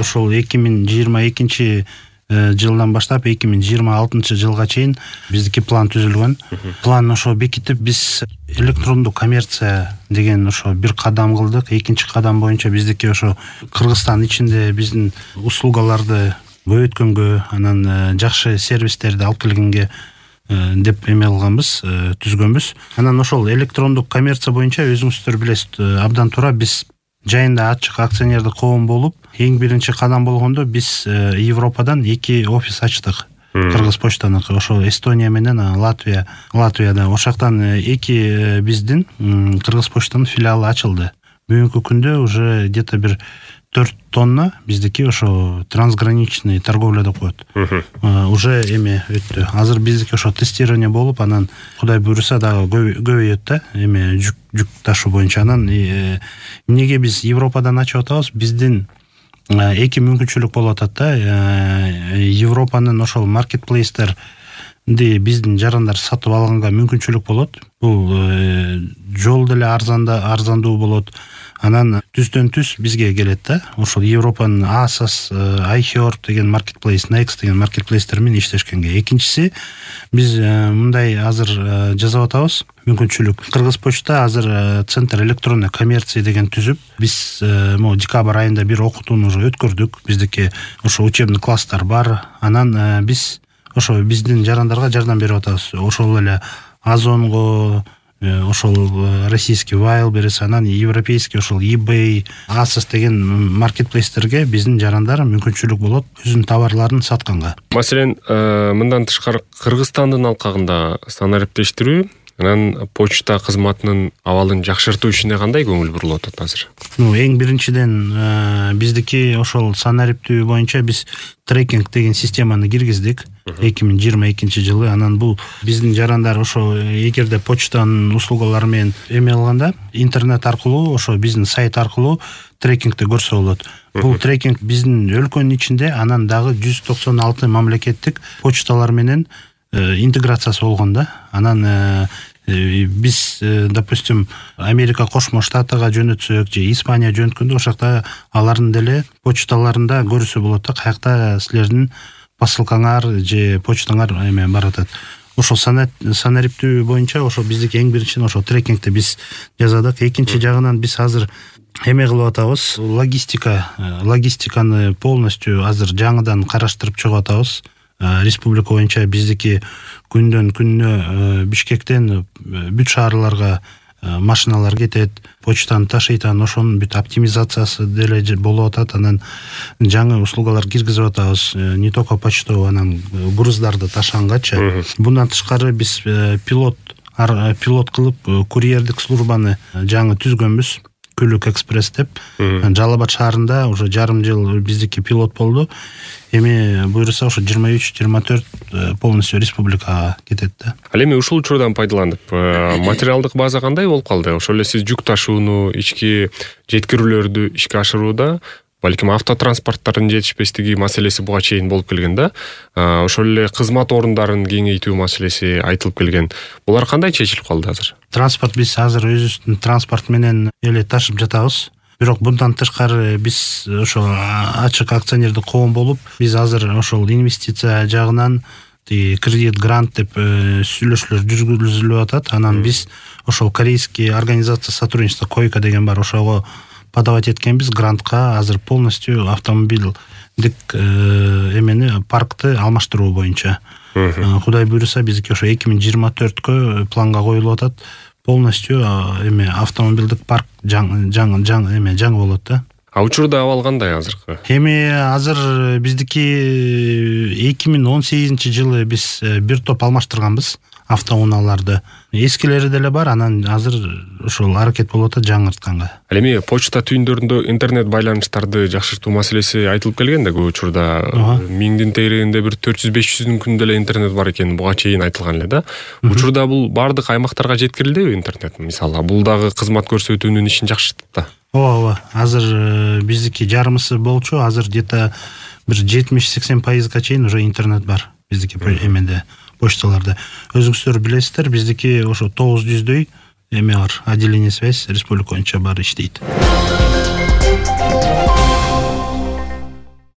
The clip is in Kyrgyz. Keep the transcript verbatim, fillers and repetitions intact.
ошол эки миң жыйырма экинчи жылдан баштап эки миң жыйырма алтынчы жылга чейин биздики план түзүлгөн. План ошо бекитип биз электрондук коммерция деген ошо бир кадам кылдык. Экинчи кадам боюнча биздики ошо Кыргызстан ичинде биздин услугаларды көбөйткөнгө, анан жакшы сервистерди алып келгенге деп эме кылганбыз, түзгөнбүз. Анан ошол электрондук коммерция боюнча өзүңүздөр билесиз, абдан туура биз жайында ачык акционердик коом болуп, эң биринчи кадам болгондо биз Европадан эки офис ачтык. Кыргыз почтаныкы, ошо Эстония менен Латвия, Латвияда. Ошоктон эки биздин Кыргыз почтанын филиалы ачылды. Бүгүнкү күндө уже где-то бир төрт тонна биздики ошо трансграничный торговля деп коет. Уже эме өттү. Азыр биздики ошо тестирование болуп, анан Кудай буйруса дагы көбөйөт да, эме жүк жүк ташуу боюнча. Анан эмнеге биз Европадан ачып атабыз? Биздин эки мүмкүнчүлүк болуп атат да. Европанын ошол маркетплейстер биздин жарандар сатып алганга мүмкүнчүлүк болот. Бул жол деле арзанда арзандуу болот. Анан түздөн түз бизге келет да. Ошол Европанын Asos, iHerb деген маркетплейс, Next деген маркетплейстер менен иштешкенге. Экинчиси, биз мындай азыр жасап атабыз мүмкүнчүлүк. Кыргыз почта азыр центр электронной коммерции деген түзүп, биз мо декабрь айында бир окутууну уже өткөрдүк. Биздики ошо учебный класстар бар. Анан биз ошо биздин жарандарга жардам берип атабыз. Ошол эле Озонго, ошол российский Wildberries, анан европейский ошол eBay, Asos деген маркетплейстерге биздин жарандар мүмкүнчүлүк болот өзүнүн товарларын сатканга. Маселен, мындан тышкары Кыргызстандын алкагында санариптештирүү, анан почта кызматынын абалын жакшыртуу ишине кандай көңүл бурулуп атат азыр? Ну, эң биринчиден биздики ошол санариптөө боюнча биз трекинг деген системаны киргиздик эки миң жыйырма экинчи жылы. Анан бул биздин жарандар ошо эгерде почтанын услугалары менен эме кылганда, интернет аркылуу, ошо биздин сайт аркылуу трекингди көрсө болот. Бул трекинг биздин өлкөнүн ичинде, анан дагы жүз токсон алты мамлекеттик почталар менен интеграциясы болгон да. Анан биз, допустим, Америка Кошмо Штатыга жөнөтсөк же Испания жөнөткөндө, ошакта алардын деле почталарында көрүсө болот да, каякта силердин посылкаңар же почтаңар эме баратат. Ошол санариптөө боюнча ошо биздики эң биринчиден ошо трекингди биз жасадык. Экинчи жагынан биз азыр эме кылып атабыз, логистика, логистиканы полностью азыр жаңыдан караштырып чыгып атабыз. Республика боюнча биздики күндөн күнүнө Бишкектен бүт шаарларга машиналар кетет, почтаны ташыйт, анан ошонун бүт оптимизациясы деле болуп атат. Анан жаңы услугалар киргизип атабыз, не только почту, анан груздарды ташыганганчы. Bundan тышкары биз пилот пилот кылып курьердик службаны жаңы түзгөнбүз. Күлүк экспресс деп. Жалал Абад шаарында уже жарым жыл биздики пилот болду. Эми буйруса ошо жыйырма үч жыйырма төрт полностью республикага кетет да. Ал эми ушул учурдан пайдаланып, материалдык база кандай болуп калды? Ошол эле сиз жүк ташууну, ички жеткирүүлөрдү ишке ашырууда, балким автотранспорттардын жетишпестиги маселеси буга чейин болуп келген да. Ошол эле кызмат орундарын кеңейтүү маселеси айтылып келген. Булар кандай чечилип калды азыр? Транспорт биз азыр өзүбүздүн транспорт менен эле ташып жатабыз. Бирок bundan тышкары биз ошо ачык акционердик коом болуп, биз азыр ошол инвестиция жагынан кредит грант деп сүйлөшүүлөр жүргүзүлүп атат. Анан биз ошол корейский организация сотрудничества Койка деген бар, ошого подавать эткенбиз грантка. Азыр полностью автомобилдик эмени паркты алмаштыруу боюнча. Кудай буйруса биздики ошо эки миң жыйырма төрткө планга коюлуп атат. Полностью эме автомобилдик парк жаңы жаңы жаңы эме жаңы болот да. А учурда абал кандай азыркы? Эми азыр биздики эки миң он сегизинчи жылы биз бир топ алмаштырганбыз автоунааларды. Эскилери деле бар, анан азыр ошол аракет болуп атат жаңыртканга. Ал эми почта түйүндөрүндө интернет байланыштарды жакшыртуу маселеси айтылып келген да, көп учурда миңдин тегерегинде бир төрт жүз беш жүздүн күндө эле интернет бар экени буга чейин айтылган эле да. Учурда бул бардык аймактарга жеткирилдиби интернет? Мисалы, бул дагы кызмат көрсөтүүнүн ишин жакшыртат да. Ооба, ооба. Азыр биздики жарымысы болчу, азыр где-то бир жетимиш сексен пайызга чейин уже интернет бар биздики эмеде, почталарда. Өзүңүздөр билесиздер, биздики ошо тогуз жүздөй эме бар, отделение связь республика боюнча бар иштейт.